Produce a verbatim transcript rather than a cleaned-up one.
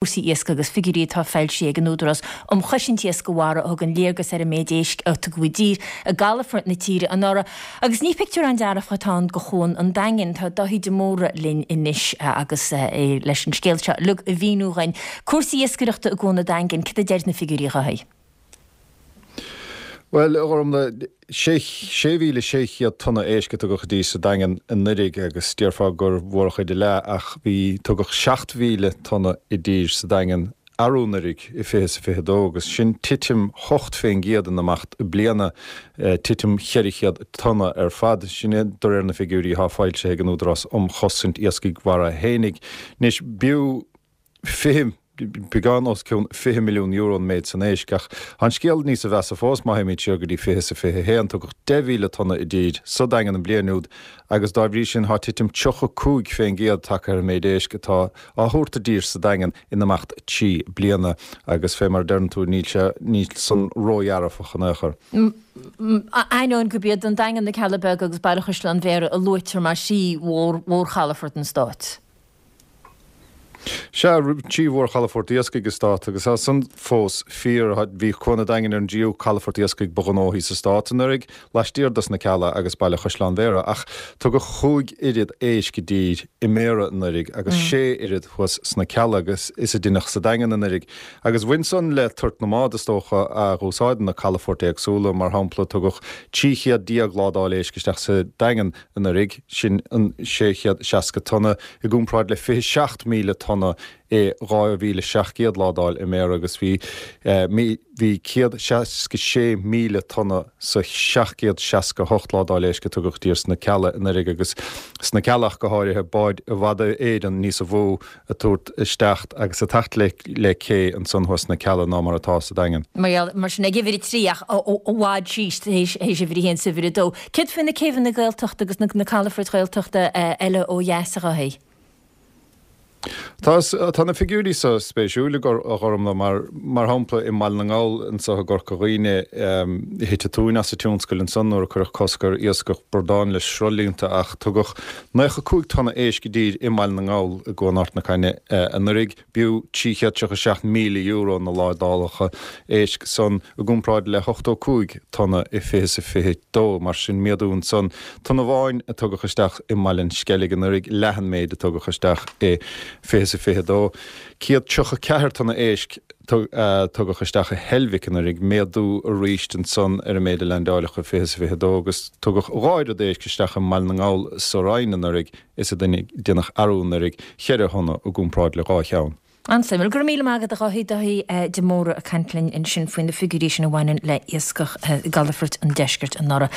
Cúrsaí iascaigh agus figiúirí atá foilsithe ag an Údarás um Chosaint Iascaigh Mhara a thugann léargas ar an méid éisc a tugadh i dtír i gcalafoirt na tíre anuraidh. Agus ní pictiúr an-dearfach atá ann do Chuan an Daingin. Tá Dáithí de Mórdha linn anois agus é leis an scéal seo uilig a mhíniú dhuinn. Cúrsaí iascaireachta i gCuan an Daingin, cad a deir na figiúirí, a Dháithí? Bhuel, a Ghormfhlaith, sé mhíle sé chéad tonna éisc a tugadh i dtír sa Daingean anuraidh agus déarfá gur mhórchuid a leath ach bhí tugadh seacht mhíle tonna i dtír sa Daingean arú anuraidh i fiche is a fiche dó agus sin titim hocht fén gcéad in imeacht bliana, titim cheithre chéad tonna ar fad. Sin é de réir na figiúirí atá foilsithe ag an Údarás um Chosaint Iascaigh Mhara fhéinig. Anois b'fhiú fiche, beagán os cionn fiche milliún euro an méid san éisc, ach tá an scéal níosa mheasa fós má théimid siar go dtí fiche is a fiche haon. Tugadh deich mhíle tonna i dtír sa Daingean an bhliain úd agus dá bhrí sin tá titim tríocha cúig fén gcéad tagtha ar an méid éisc atá á thabhairt i dtír sa Daingean in imeacht trí bliana agus fé mar a deireann tú níl sé, níl san ródhearfach in aon chor. Ainneoin gurb iad an Daingean, na Cealla Beaga agus Baile Chaisleáin Bhéarra a luaitear mar thrí mhórchalafort an stáit. Sea, trí mhórchalafort iascaigh an stáit agus tá san fós fíor. Bhí Cuan an Daingin ar an dtríú calafort iascaigh ba ghnóthaí sa stát anuraidh, laistiar dos na Cealla agus Baile Chaisleáin Bhéarra, ach tugadh chúig oiread éisc i dtír i mBéarra anuraidh agus sé oiread thuas sna Cealla agus is a deineadh sa Daingean anuraidh. Agus bhain san le toirt na mbád, is dócha, a dh'úsáideann na calafoirt éagsúla. Mar shampla, tugadh trí chéad déag ládáil éisc isteach sa Daingean anuraidh, sin an sé chéad seasca tonna, i gcomparáid le fiche seacht míle tonna i dhá mhíle seacht gcéad ládáil i mBéarra agus bhí bhí céad seasca sé míle tonna sa seacht gcéad seasca hocht ládáil éisc a tugadh i dtír sna Cealla anuraidh agus sna Cealla ach go háirithe, báid i bhfad Éireann níosa mhó a tabhairt isteach agus a teacht le le cé ansan thuas sna Cealla ná mar atá sa Daingean. Mar gheall, mar sin, ag uimhir a trí ach i bhfad síos théis uimhir a haon 's uimhir a dó. Céard faoi na céibheanna Gaeltachta agus na calafoirt Ghaeltachta eile ó dheas, a Dháithí? Tá, tá na figiúirí so spéisiúil, a Ghormfhlaith, mar, mar shampla, i mBaile na nGall anso i gCorca Dhuibhne, thit an tóin as an tionscal ansan nuair a cuireadh cosc ar iascach bradán le sruthlíonta ach tugadh naocha cúig tonna éisc i dtír i mBaile na nGall i gCuan Ard na Caithne anuraidh. B'fhiú trí chéad tríocha seacht míle euro na ládálacha éisc san i gcomparáid le hochtó cúig tonna i fiche is a fiche dó, mar sin méadú ansan. Tonna amháin a tugadh isteach i mBaile an Sceilg anuraidh, leath an méid a tugadh isteach i fiche is a fiche dó. Céad tríocha ceathair tonna éisc a tugadh isteach i Heilbhic anuraidh, méadú arís ansan ar an méid a leaindeáileadh i fiche is a fiche dó, agus tugadh dhá oiread éisc isteach i mBaile na nGall sa Rinn anuraidh is a deineadh arú anuraidh, cheithre thonna i gcomparáid le dhá cheann. An-suimiúil. Go raibh míle maith agat a Dháithí, Dáithí de Mórdha ag caint linn ansin faoi na figiúirí sin a bhaineann le iascach i gcalafoirt an deiscirt anuraidh.